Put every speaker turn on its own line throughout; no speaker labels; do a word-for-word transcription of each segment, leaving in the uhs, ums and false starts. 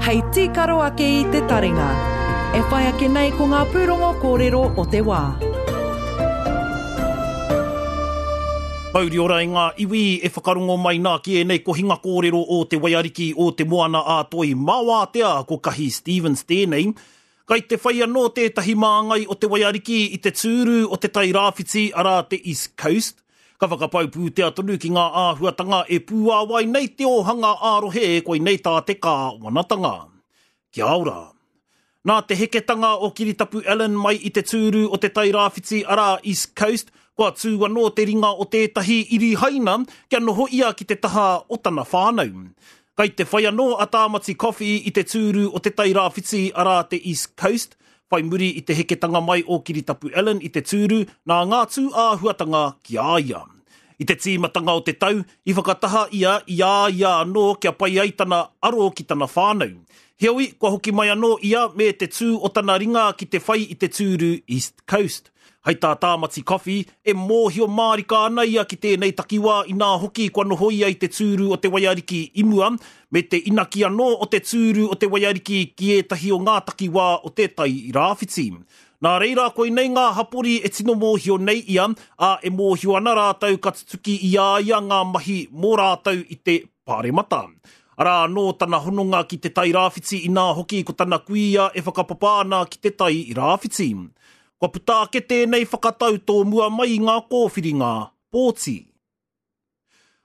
Hei tīkaro ake i te taringa. E whai ake nei ko ngā pūrongo kōrero o te wā.
Mauri ora i ngā iwi e whakarongo mai nā ki ēnei kohinga kōrero o te Waiariki o te Moana a Toi Mawātea ko Kahi Stevens tēnei. Kai te whai anō tētahi māngai o te Waiariki i te tūru o te Tai Rāwhiti, arā te East Coast. Ka whakapau pūtea tonu ki ngā āhuatanga e pūāwai nei te ōhanga ā-rohe koinei tā te kāwanatanga. Kia ora. Nā te heketanga o Kiritapu Allan mai i te tūru o te Tai Rāwhiti, arā East Coast, kua tū anō te ringa o tētahi iri haina kia noho ia ki te taha o tana whānau. Kai te whai anō a Tāmati Coffey i te tūru o te Tai Rāwhiti, arā te East Coast, whai muri i te heketanga mai o Kiritapu Allan i te tūru nā ngā tū āhuatanga ki a ia. I te tīmatanga o te tau, i whakataha ia i a ia anō kia pai ai tana aro ki tana whānau. Heoi, kua hoki mai anō ia me te tū o tana ringa ki te whai i te tūru East Coast. Hei tā Tāmati Coffey, e mōhio mārika ana ia ki tēnei takiwā inā hoki kua noho ia i te tūru o te Waiariki i mua, me te inaki anō o te tūru o te Waiariki ki ētahi o ngā takiwā o te Tai Rāwhiti. Nā reira, koinei ngā hapori e tino mōhio nei ia, ā, e mōhio ana rātou ka tutuki i a ia ngā mahi mō rātou i te Pāremata. Arā anō tana hononga ki te Tai Rāwhiti inā hoki ko tana kuia e whakapapa ana ki te Tai Rāwhiti. Kua puta ake tēnei whakatau tōmua mai i ngā kōwhiringa pōti.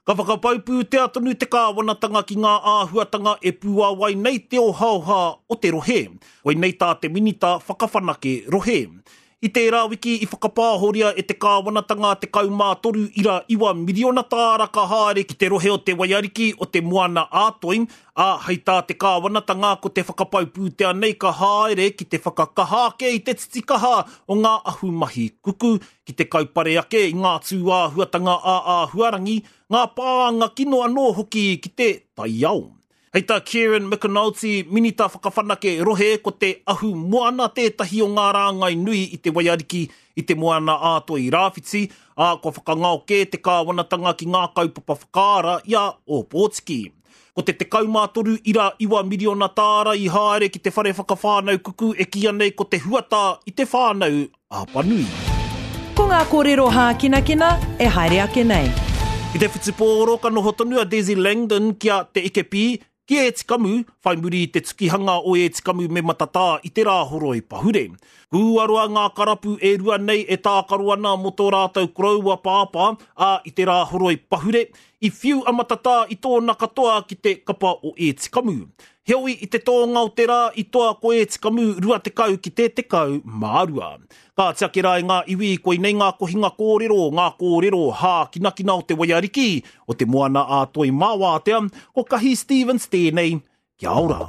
Ka whakapau pūtea tonu te kāwanatanga ki ngā āhuatanga e pūāwai nei te ohaoha o te rohe. Koinei tā te minita whakawhanake rohe. I tērā wiki i whakapāhoria e te kāwanatanga tekau mā toru ira iwa miriona tāra ka haere ki te rohe o te Waiariki o te Moana ā-Toi, ā, hei tā te kāwanatanga ko te whakapau pūtea nei ka haere ki te whakakaha ake i te titikaha o ngā ahumahi kuku, ki te kaupare ake i ngā tūāhuatanga ā-āhuarangi, ngā pānga kino anō hoki ki te taiao. Hei tā Kieran McAnulty, minita whakawhanake rohe, ko te ahu moana tētahi o ngā rāngai nui i te Waiariki i te Moana ā-Toi Rāwhiti, ā, kua whakangao kē te kāwanatanga ki ngā kaupapa whakaara i a Ōpōtiki. Ko te tekau mā toru ira iwa miriona tāra i haere ki te whare whakawhānau kuku e kīia nei ko te huatā i te whānau Apanui.
Ko ngā kōrero hākinakina e haere ake nei.
I te whutupōro ka noho tonu a Desi Langdon ki a Te Ike Pī, ki Ētikamu, whai muri i te tukihanga o Ētikamu me Matatā i te Rāhoroi Pahure. Kūaroa ngā karapu e rua nei e tākaro ana mō tō rātou koroua pāpā, ā, i te Rāhoroi Pahure, i whiu a Matatā i tōna katoa ki te kapa o Ētikamu. Heoi, i te tōnga o te rā i toa ko Ētikamu rua tekau ki te tekau mā rua. Ka tiaki rā i ngā iwi, koinei ngā kohinga kōrero, ngā kōrero hākinakina o te Waiariki, o te Moana ā-Toi Māwātea, ko Kahi Stevens tēnei. Kia ora.